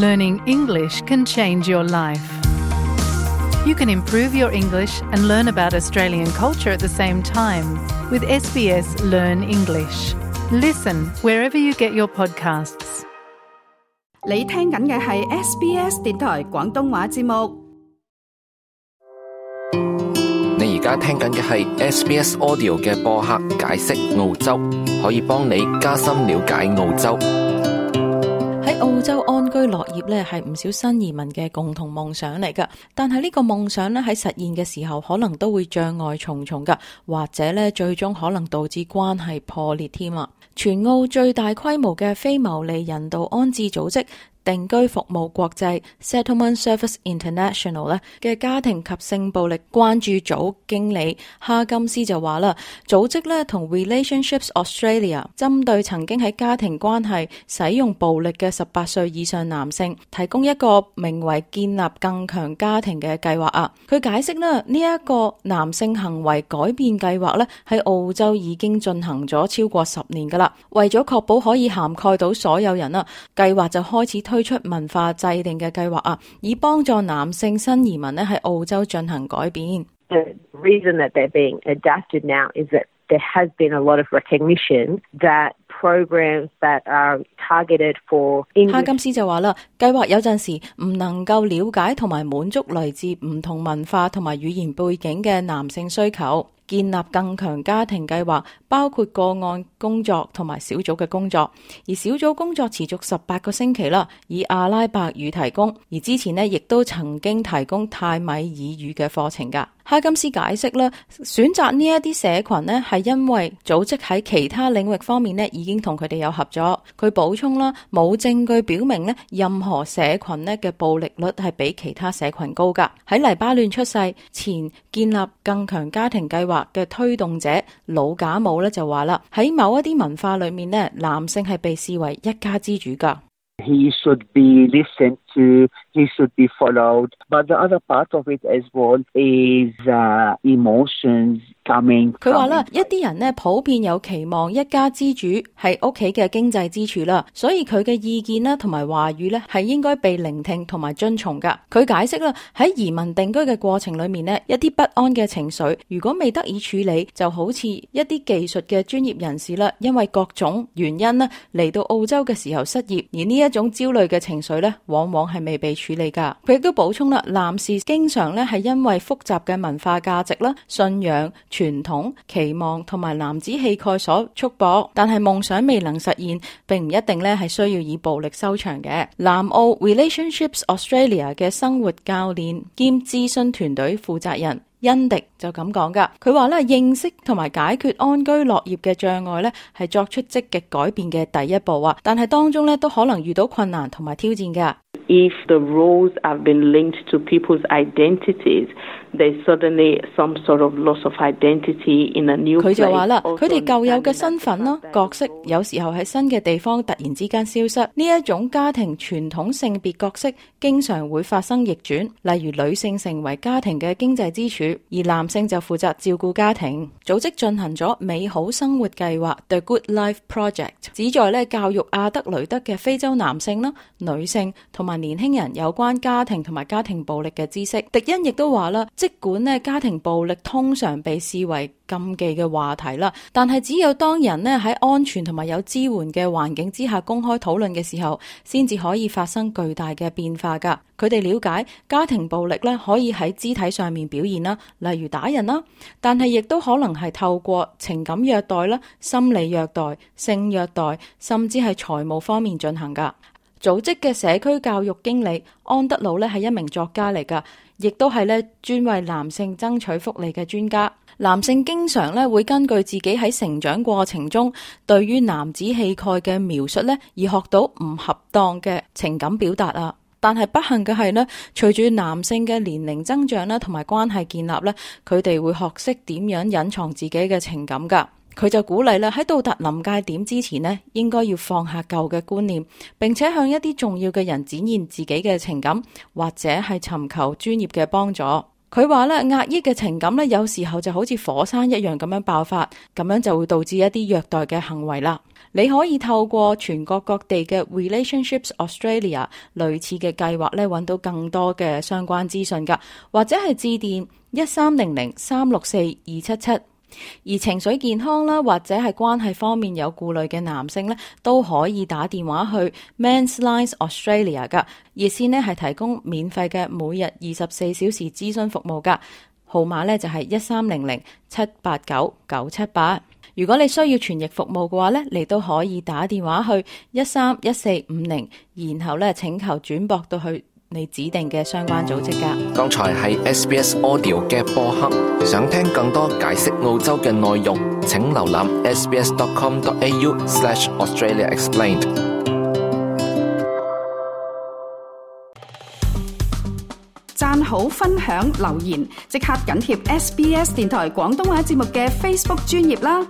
Learning English can change your life. You can improve your English and learn about Australian culture at the same time with SBS Learn English. Listen wherever you get your podcasts. 你聽緊嘅係 SBS 電台廣東話節目。你而家聽緊嘅係 SBS Audio 嘅播客解釋澳洲，可以幫你加深了解澳洲。喺澳洲安居樂業咧，係唔少新移民嘅共同夢想嚟噶。但係呢個夢想咧喺實現嘅時候，可能都會障礙重重噶，或者咧最終可能導致關係破裂添啊！全澳最大規模嘅非牟利人道安置組織定居服務國際 Settlement Service International 咧嘅家庭及性暴力關注組經理哈金斯就話啦，組織咧同 Relationships Australia 針對曾經喺家庭關係使用暴力嘅18歲以上男性，提供一個名為建立更強家庭嘅計劃啊。佢解釋啦，呢一個男性行為改變計劃咧喺澳洲已經進行咗超過10年噶啦，為咗確保可以涵蓋到所有人啊，計劃就開始推出文化制定嘅計劃啊，以幫助男性新移民咧喺澳洲進行改變。The reason that they're being adapted now is that there has been a lot of recognition that programs that are targeted for English。哈金斯就話啦，計劃有陣時唔能夠了解同埋滿足來自唔同文化同埋語言背景嘅男性需求。建立更強家庭計劃包括個案工作同埋小組嘅工作，而小組工作持續18個星期啦，以阿拉伯語提供，而之前呢亦都曾經提供泰米爾語嘅課程㗎。哈金斯解釋啦，選擇呢一啲社群呢係因為組織喺其他領域方面呢已經同佢哋有合作。佢補充啦，冇證據表明呢任何社群呢嘅暴力率係比其他社群高㗎。喺黎巴嫩出世前建立更強家庭計劃嘅推動者魯賈姆咧就話啦，喺某一啲文化裏面呢，男性係被視為一家之主㗎。He should be listened to, he should be followed. But the other part of it as well is emotions coming. 佢話啦，一啲人呢普遍有期望一家之主係屋企嘅經濟支柱啦，所以佢嘅意見啦同埋話語呢係應該被聆聽同埋遵從噶。佢解釋啦，喺移民定居嘅過程裏面呢，一啲不安嘅情緒如果未得以處理，就好似一啲技術嘅專業人士啦，因為各種原因呢嚟到澳洲嘅時候失業，而呢一種焦慮嘅情緒呢往往係未被處理噶。佢亦都補充啦，男士經常呢係因為複雜嘅文化價值啦、信仰、傳統、期望同埋男子氣概所束縛，但係夢想未能實現，並唔一定呢係需要以暴力收場嘅。南澳 Relationships Australia 嘅生活教練兼諮詢團隊負責人恩迪就咁講噶，佢話咧，認識同埋解決安居樂業嘅障礙咧，係作出積極改變嘅第一步啊，但係當中咧都可能遇到困難同埋挑戰噶。If the roles have been linked to people's identities, there's suddenly some sort of loss of identity in a new place. 佢就話啦，佢哋舊有嘅身份啦、角色，有時候喺新嘅地方突然之間消失。呢一種家庭傳統性別角色經常會發生逆轉，例如女性成為家庭嘅經濟支柱，而男性就負責照顧家庭。組織進行咗美好生活計劃 The Good Life Project， 旨在咧教育阿德雷德嘅非洲男性啦、女性同埋年輕人有關家庭同埋家庭暴力嘅知識。迪恩亦都話啦，即管咧家庭暴力通常被視為禁忌嘅話題啦，但係只有當人咧喺安全同埋有支援嘅環境之下公開討論嘅時候，先至可以發生巨大嘅變化噶。佢哋了解家庭暴力咧可以喺肢體上面表現啦，例如打人啦，但係亦都可能係透過情感虐待啦、心理虐待、性虐待，甚至係財務方面進行噶。組織嘅社區教育經理安德魯咧係一名作家嚟噶，亦都係咧專為男性爭取福利嘅專家。男性經常咧會根據自己喺成長過程中對於男子氣概嘅描述咧，而學到唔恰當嘅情感表達啊。但係不幸嘅係咧，隨住男性嘅年齡增長啦，同埋關係建立咧，佢哋會學識點樣隱藏自己嘅情感噶。佢就鼓勵啦，喺到達臨界點之前呢，應該要放下舊嘅觀念，並且向一啲重要嘅人展現自己嘅情感，或者係尋求專業嘅幫助。佢話咧，壓抑嘅情感咧，有時候就好似火山一樣咁樣爆發，咁樣就會導致一啲虐待嘅行為啦。你可以透過全國各地嘅 Relationships Australia 類似嘅計劃咧，揾到更多嘅相關資訊噶，或者係致電1300-364-277。而情緒健康啦，或者係關係方面有顧慮嘅男性咧，都可以打電話去 Men's Lines Australia 噶，熱線咧係提供免費嘅每日24小時諮詢服務噶，號碼咧就係1300-789-978。如果你需要傳譯服務嘅話咧，你都可以打電話去131450，然後咧請求轉駁到去你指定嘅相關組織噶。剛才係 SBS Audio 嘅播客，想聽更多解釋澳洲嘅內容，請瀏覽 sbs.com.au/AustraliaExplained。讚好、分享、留言，即刻緊貼SBS 電台廣東話節目嘅 Facebook 專頁啦！